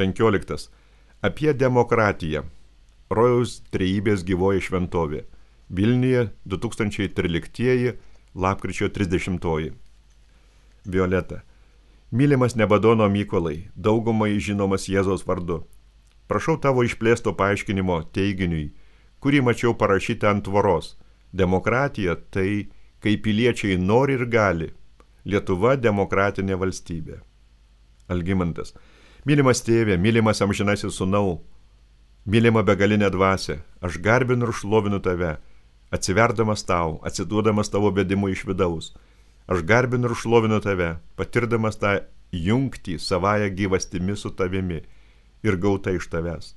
15. Apie demokratiją. Rojaus trejybės gyvoji šventovė. Vilniuje 2013 lapkričio 30. Violeta. Mylimas Nebadono Mykolai, daugumai žinomas Jėzaus vardu. Prašau tavo išplėsto paaiškinimo teiginiui, kurį mačiau parašytą ant tvoros. Demokratija tai, kai piliečiai nori ir gali. Lietuva demokratinė valstybė. Algimantas. Mylimas tėvė, mylimas amžinasis sūnau, mylima begalinė dvasia, aš garbinu ir šlovinu tave, atsiverdamas tau, atsiduodamas tavo vedimui iš vidaus. Aš garbinu ir šlovinu tave, patirdamas tą jungtį savąją gyvastimi su tavimi ir gauta iš tavęs.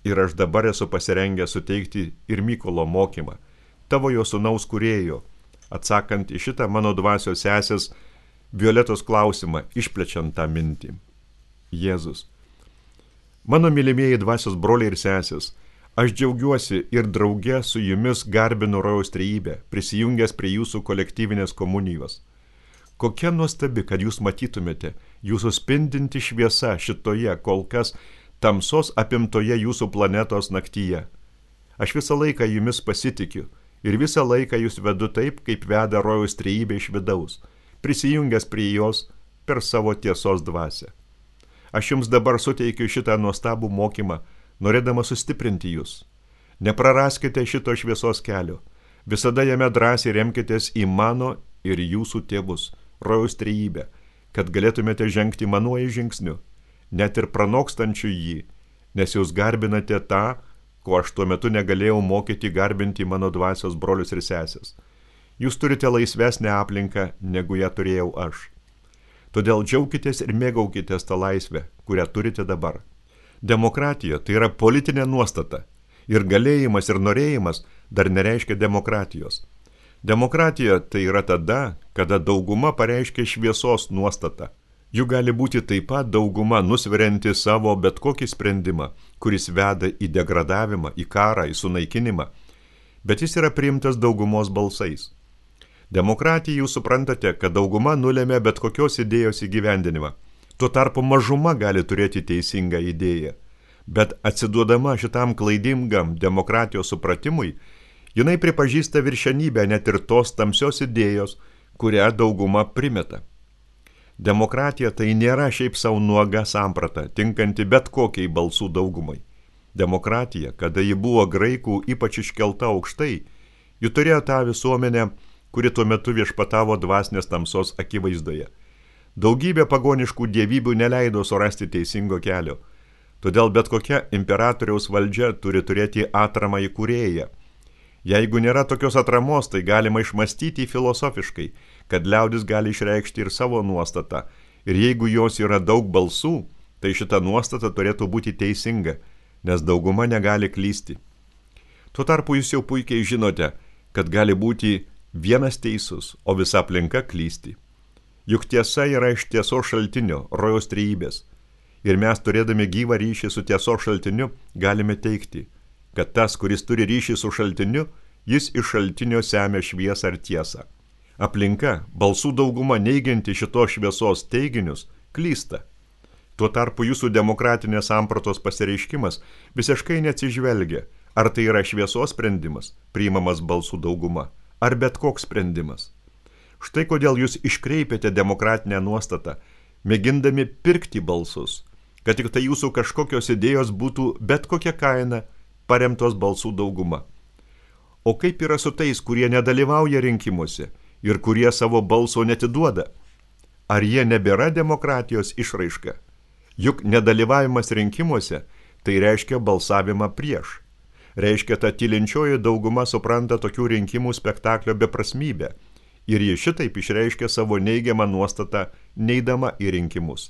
Ir aš dabar esu pasirengęs suteikti ir Mykolo mokymą, tavo jo sūnaus kūrėjo, atsakant į šitą mano dvasios sesės Violetos klausimą, išplečiant tą mintį. Jėzus. Mano mylimieji dvasios broliai ir sesės, aš džiaugiuosi ir drauge su jumis garbinu Rojaus trejybę, prisijungęs prie jūsų kolektyvinės komunijos. Kokia nuostabi, kad jūs matytumėte jūsų spindinti šviesa šitoje kol kas tamsos apimtoje jūsų planetos naktyje. Aš visą laiką jumis pasitikiu ir visą laiką jūs vedu taip, kaip veda Rojaus trejybė iš vidaus, prisijungęs prie jos per savo tiesos dvasią. Aš jums dabar suteikiu šitą nuostabų mokymą, norėdama sustiprinti jūs. Nepraraskite šito šviesos kelio. Visada jame drąsiai remkitės į mano ir jūsų tėvus, Rojaus trejybę, kad galėtumėte žengti manuoju žingsniu, net ir pranokstančiu jį, nes jūs garbinate tą, ko aš tuo metu negalėjau mokyti garbinti mano dvasios brolius ir sesės. Jūs turite laisvesnę aplinką, negu ją turėjau aš. Todėl džiaukitės ir mėgaukitės tą laisvę, kurią turite dabar. Demokratija tai yra politinė nuostata. Ir galėjimas ir norėjimas dar nereiškia demokratijos. Demokratija tai yra tada, kada dauguma pareiškia šviesos nuostatą. Jų gali būti taip pat dauguma nusverianti savo bet kokį sprendimą, kuris veda į degradavimą, į karą, į sunaikinimą. Bet jis yra priimtas daugumos balsais. Demokratija jūs suprantate, kad dauguma nulėmė bet kokios idėjos įgyvendinimą. Tuo tarpu mažuma gali turėti teisingą idėją. Bet atsiduodama šitam klaidingam demokratijos supratimui, jinai pripažįsta viršenybę net ir tos tamsios idėjos, kurią dauguma primeta. Demokratija tai nėra šiaip savo nuoga samprata, tinkanti bet kokiai balsų daugumai. Demokratija, kada ji buvo graikų ypač iškelta aukštai, ji turėjo tą visuomenę, kuri tuo metu viešpatavo dvasinės tamsos akivaizdoje. Daugybė pagoniškų dievybių neleido surasti teisingo kelio. Todėl bet kokia imperatoriaus valdžia turi turėti atramą į kūrėją. Jeigu nėra tokios atramos, tai galima išmastyti filosofiškai, kad liaudis gali išreikšti ir savo nuostatą. Ir jeigu jos yra daug balsų, tai šita nuostata turėtų būti teisinga, nes dauguma negali klysti. Tuo tarpu jūs jau puikiai žinote, kad gali būti vienas teisus, o visa aplinka klysti. Juk tiesa yra iš tiesos šaltinio, Rojaus trejybės. Ir mes, turėdami gyvą ryšį su tiesos šaltiniu, galime teigti, kad tas, kuris turi ryšį su šaltiniu, jis iš šaltinio semia šviesą ir tiesą. Aplinka, balsų dauguma neigianti šitos šviesos teiginius, klysta. Tuo tarpu jūsų demokratinės sampratos pasireiškimas visiškai neatsižvelgia, ar tai yra šviesos sprendimas, priimamas balsų dauguma, ar bet koks sprendimas. Štai kodėl jūs iškreipiate demokratinę nuostatą, mėgindami pirkti balsus, kad tik tai jūsų kažkokios idėjos būtų bet kokia kaina paremtos balsų dauguma. O kaip yra su tais, kurie nedalyvauja rinkimuose ir kurie savo balso netiduoda? Ar jie nebėra demokratijos išraiška? Juk nedalyvavimas rinkimuose tai reiškia balsavimą prieš. Reiškia, ta tylinčioji dauguma supranta tokių rinkimų spektaklio beprasmybę ir ji šitaip išreiškia savo neigiamą nuostatą neidama į rinkimus.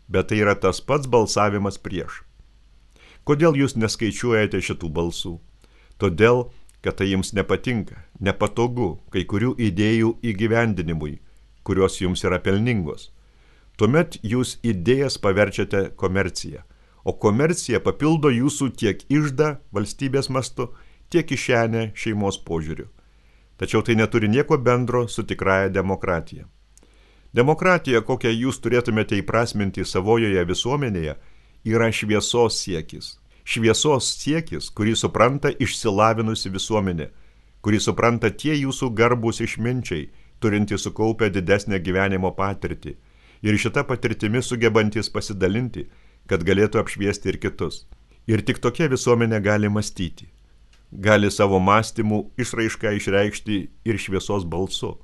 Bet tai yra tas pats balsavimas prieš. Kodėl jūs neskaičiuojate šitų balsų? Todėl, kad tai jums nepatinka, nepatogu kai kurių idėjų įgyvendinimui, kurios jums yra pelningos. Tuomet jūs idėjas paverčiate komerciją. O komercija papildo jūsų tiek iždą valstybės mastu, tiek kišenę šeimos požiūriu. Tačiau tai neturi nieko bendro su tikrąja demokratija. Demokratija, kokią jūs turėtumėte įprasminti savojoje visuomenėje, yra šviesos siekis. Šviesos siekis, kurį supranta išsilavinusi visuomenė, kurį supranta tie jūsų garbūs išminčiai, turintys sukaupę didesnę gyvenimo patirtį ir šitą patirtimi sugebantys pasidalinti, kad galėtų apšviesti ir kitus. Ir tik tokia visuomenė gali mąstyti, gali savo mąstymų išraišką išreikšti ir šviesos balsu,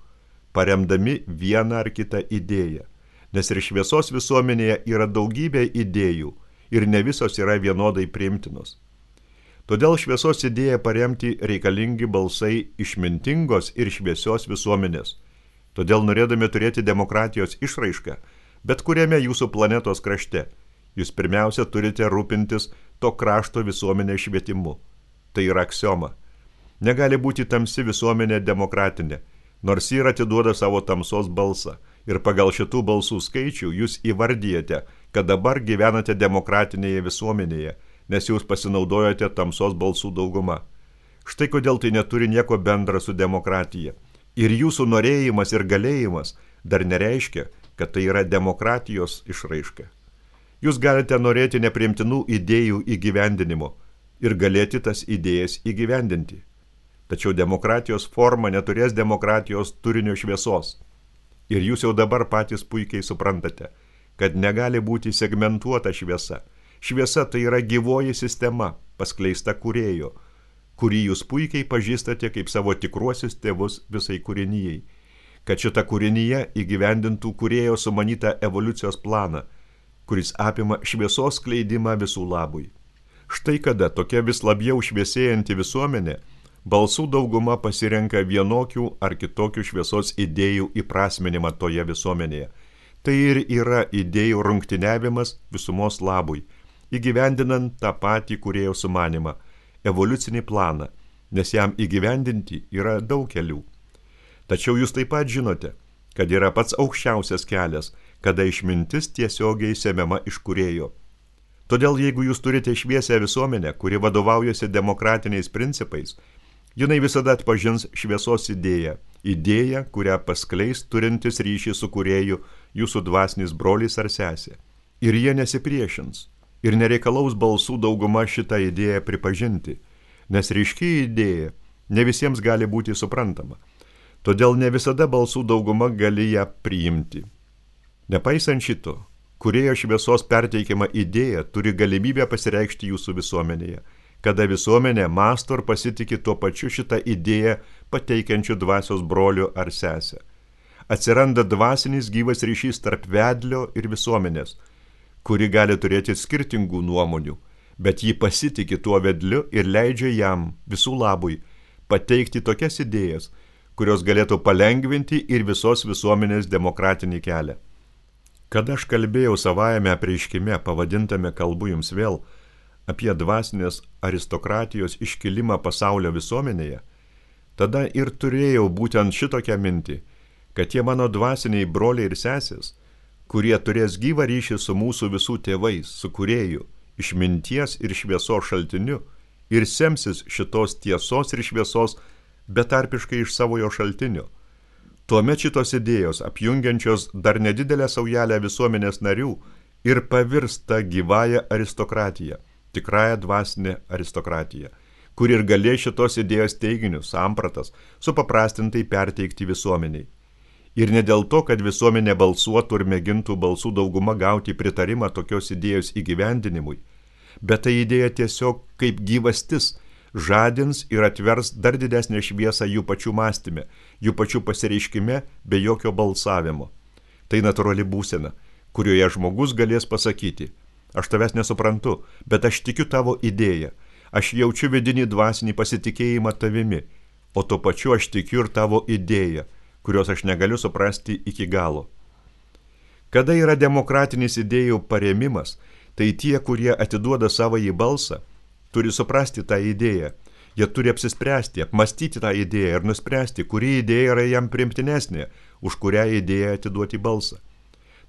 paremdami vieną ar kitą idėją, nes ir šviesos visuomenėje yra daugybė idėjų ir ne visos yra vienodai priimtinos. Todėl šviesos idėją paremti reikalingi balsai išmintingos ir šviesios visuomenės. Todėl norėdami turėti demokratijos išraišką, bet kuriame jūsų planetos krašte, jūs pirmiausia turite rūpintis to krašto visuomenės švietimu. Tai yra aksioma. Negali būti tamsi visuomenė demokratinė, nors ji ir atiduoda savo tamsos balsą. Ir pagal šitų balsų skaičių jūs įvardyjate, kad dabar gyvenate demokratinėje visuomenėje, nes jūs pasinaudojote tamsos balsų dauguma. Štai kodėl tai neturi nieko bendra su demokratija. Ir jūsų norėjimas ir galėjimas dar nereiškia, kad tai yra demokratijos išraiška. Jūs galite norėti nepriimtinų idėjų įgyvendinimo ir galėti tas idėjas įgyvendinti. Tačiau demokratijos forma neturės demokratijos turinio šviesos. Ir jūs jau dabar patys puikiai suprantate, kad negali būti segmentuota šviesa. Šviesa tai yra gyvoji sistema, paskleista kūrėjo, kurį jūs puikiai pažįstate kaip savo tikruosius tėvus visai kūrinijai, kad šita kūrinyje įgyvendintų kūrėjo sumanytą evoliucijos planą, kuris apima šviesos skleidimą visų labui. Štai kada tokia vis labiau šviesėjanti visuomenė, balsų dauguma pasirenka vienokių ar kitokių šviesos idėjų įprasminimą toje visuomenėje. Tai ir yra idėjų rungtyniavimas visumos labui, įgyvendinant tą patį kūrėjo sumanimą, evoliucinį planą, nes jam įgyvendinti yra daug kelių. Tačiau jūs taip pat žinote, kad yra pats aukščiausias kelias, kada išmintis tiesiogiai semiama iš kūrėjo. Todėl jeigu jūs turite šviesią visuomenę, kuri vadovaujasi demokratiniais principais, jinai visada atpažins šviesos idėją, kurią paskleis turintis ryšį su kūrėju jūsų dvasinis brolis ar sesė. Ir jie nesipriešins ir nereikalaus balsų dauguma šitą idėją pripažinti, nes ryški idėja ne visiems gali būti suprantama. Todėl ne visada balsų dauguma gali ją priimti. Nepaisant šito, kūrėjo šviesos perteikiama idėja turi galimybę pasireikšti jūsų visuomenėje, kada visuomenė mąsto ir pasitikė tuo pačiu šitą idėją pateikiančių dvasios brolių ar sesę. Atsiranda dvasinis gyvas ryšys tarp vedlio ir visuomenės, kuri gali turėti skirtingų nuomonių, bet ji pasitikė tuo vedliu ir leidžia jam visų labui pateikti tokias idėjas, kurios galėtų palengvinti ir visos visuomenės demokratinį kelią. Kada aš kalbėjau savajame apreiškime, pavadintame kalbu jums vėl, apie dvasinės aristokratijos iškilimą pasaulio visuomenėje, tada ir turėjau būtent šitokią mintį, kad tie mano dvasiniai broliai ir sesės, kurie turės gyvą ryšį su mūsų visų tėvais, su kūrėju, išminties ir šviesos šaltiniu, ir semsis šitos tiesos ir šviesos betarpiškai iš savojo šaltinio. Tuomet šitos idėjos, apjungiančios dar nedidelę saujelę visuomenės narių, ir pavirsta gyvąją aristokratiją, tikrąją dvasinę aristokratiją, kur ir galės šitos idėjos teiginius, sampratas, supaprastintai perteikti visuomeniai. Ir ne dėl to, kad visuomenė balsuotų ir mėgintų balsų dauguma gauti pritarimą tokios idėjos įgyvendinimui, bet tai idėja tiesiog kaip gyvastis žadins ir atvers dar didesnę šviesą jų pačių mąstyme, jų pačių pasireiškime be jokio balsavimo. Tai natūrali būsena, kurioje žmogus galės pasakyti: aš tavęs nesuprantu, bet aš tikiu tavo idėją, aš jaučiu vidinį dvasinį pasitikėjimą tavimi, o tuo pačiu aš tikiu ir tavo idėją, kurios aš negaliu suprasti iki galo. Kada yra demokratinis idėjų parėmimas, tai tie, kurie atiduoda savąjį balsą, turi suprasti tą idėją, jie turi apsispręsti, apmastyti tą idėją ir nuspręsti, kuri idėja yra jam priimtinesnė, už kurią idėją atiduoti balsą.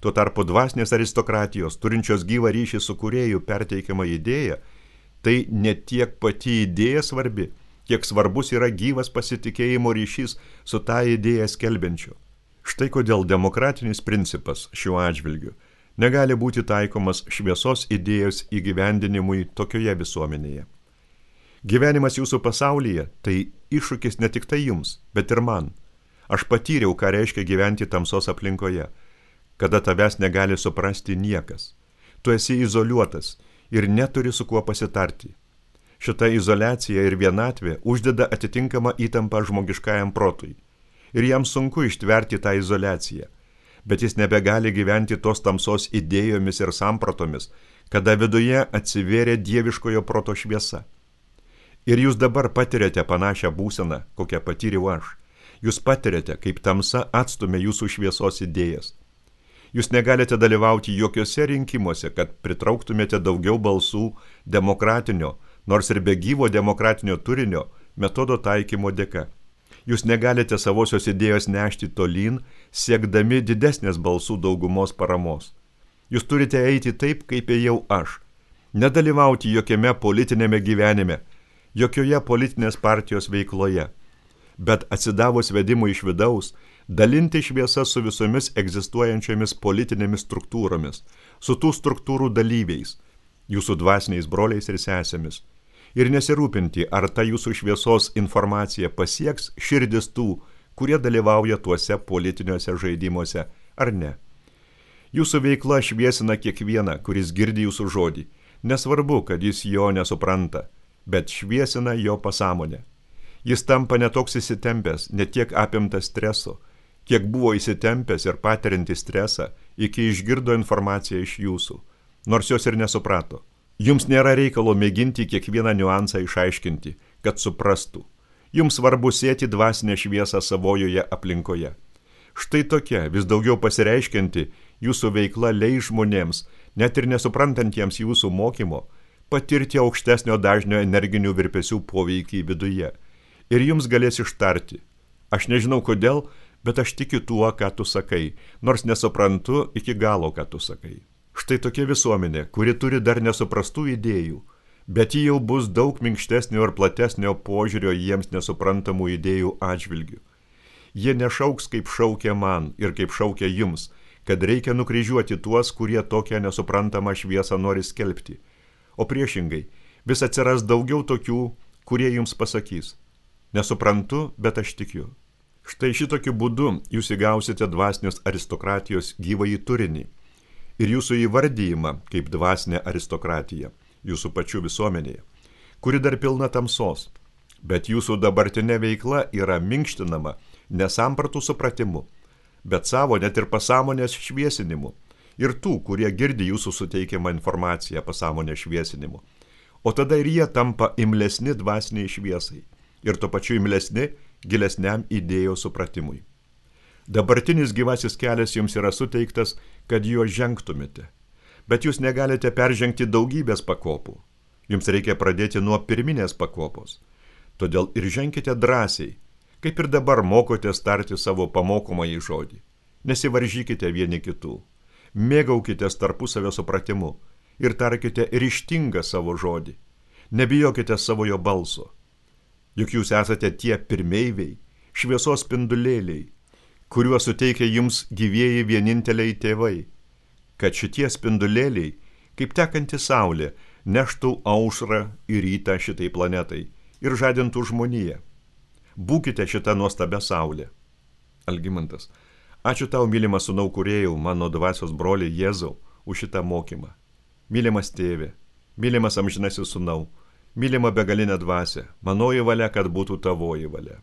Tuo tarpu dvasinės aristokratijos, turinčios gyvą ryšį su kūrėju perteikiama idėja, tai ne tiek pati idėja svarbi, kiek svarbus yra gyvas pasitikėjimo ryšys su tą idėją skelbiančiu. Štai kodėl demokratinis principas šiuo atžvilgiu negali būti taikomas šviesos idėjos įgyvendinimui tokioje visuomenėje. Gyvenimas jūsų pasaulyje tai iššūkis ne tik tai jums, bet ir man. Aš patyriau, ką reiškia gyventi tamsos aplinkoje, kada tavęs negali suprasti niekas. Tu esi izoliuotas ir neturi su kuo pasitarti. Šita izoliacija ir vienatvė uždeda atitinkamą įtampą žmogiškajam protui. Ir jam sunku ištverti tą izoliaciją, bet jis nebegali gyventi tos tamsos idėjomis ir sampratomis, kada viduje atsivėrė dieviškojo proto šviesa. Ir jūs dabar patiriate panašią būseną, kokią patyriau aš. Jūs patiriate, kaip tamsa atstumia jūsų šviesos idėjas. Jūs negalite dalyvauti jokiuose rinkimuose, kad pritrauktumėte daugiau balsų demokratinio, nors ir be gyvo demokratinio turinio, metodo taikymo dėka. Jūs negalite savosios idėjos nešti tolyn, siekdami didesnės balsų daugumos paramos. Jūs turite eiti taip, kaip ėjau aš. Nedalyvauti jokiame politinėme gyvenime, jokioje politinės partijos veikloje, bet atsidavus vedimui iš vidaus, dalinti šviesą su visomis egzistuojančiomis politinėmis struktūromis, su tų struktūrų dalyviais, jūsų dvasiniais broliais ir sesėmis, ir nesirūpinti, ar ta jūsų šviesos informacija pasieks širdis tų, kurie dalyvauja tuose politiniuose žaidimuose, ar ne. Jūsų veikla šviesina kiekvieną, kuris girdi jūsų žodį, nesvarbu, kad jis jo nesupranta, bet šviesina jo pasąmonę. Jis tampa netoks įsitempęs, netiek apimtas streso, kiek buvo įsitempęs ir patiriantis stresą, iki išgirdo informaciją iš jūsų, nors jos ir nesuprato. Jums nėra reikalo mėginti kiekvieną niuansą išaiškinti, kad suprastų. Jums svarbu sėti dvasinę šviesą savojoje aplinkoje. Štai tokia, vis daugiau pasireiškianti jūsų veikla leis žmonėms, net ir nesuprantantiems jūsų mokymo, patirti aukštesnio dažnio energinių virpesių poveikį viduje. Ir jums galės ištarti. Aš nežinau kodėl, bet aš tikiu tuo, ką tu sakai, nors nesuprantu iki galo, ką tu sakai. Štai tokia visuomenė, kuri turi dar nesuprastų idėjų, bet ji jau bus daug minkštesnio ir platesnio požiūrio jiems nesuprantamų idėjų atžvilgių. Jie nešauks, kaip šaukia man ir kaip šaukia jums, kad reikia nukryžiuoti tuos, kurie tokią nesuprantamą šviesą nori skelbti. O priešingai, vis atsiras daugiau tokių, kurie jums pasakys: nesuprantu, bet aš tikiu. Štai šitokiu būdu jūs įgausite dvasinės aristokratijos gyvąjį turinį ir jūsų įvardyjimą kaip dvasinė aristokratija jūsų pačių visuomenėje, kuri dar pilna tamsos, bet jūsų dabartinė veikla yra minkštinama ne sampratų supratimu, bet savo net ir pasąmonės šviesinimu ir tų, kurie girdi jūsų suteikiamą informaciją pasąmonės šviesinimu. O tada ir jie tampa imlesni dvasiniai šviesai ir tuo pačiu imlesni gilesniam idėjų supratimui. Dabartinis gyvasis kelias jums yra suteiktas, kad juo žengtumėte, bet jūs negalite peržengti daugybės pakopų. Jums reikia pradėti nuo pirminės pakopos. Todėl ir ženkite drąsiai, kaip ir dabar mokotės tarti savo pamokomąjį žodį. Nesivaržykite vieni kitų, mėgaukitės tarpusavio supratimu ir tarkite ryžtingą savo žodį. Nebijokite savojo balso. Juk jūs esate tie pirmeiviai, šviesos spindulėliai, kuriuos suteikia jums gyvieji vieninteliai tėvai, kad šitie spindulėliai, kaip tekanti saulė, neštų aušrą ir rytą šitai planetai ir žadintų žmoniją. Būkite šitą nuostabę saulę. Algimantas: ačiū tau, mylimas sūnau kūrėjau, mano dvasios broli Jėzau, už šitą mokymą. Mylimas tėve, mylimas amžinasis sūnau, mylima begalinė dvasia, manoji valia, kad būtų tavoji valia.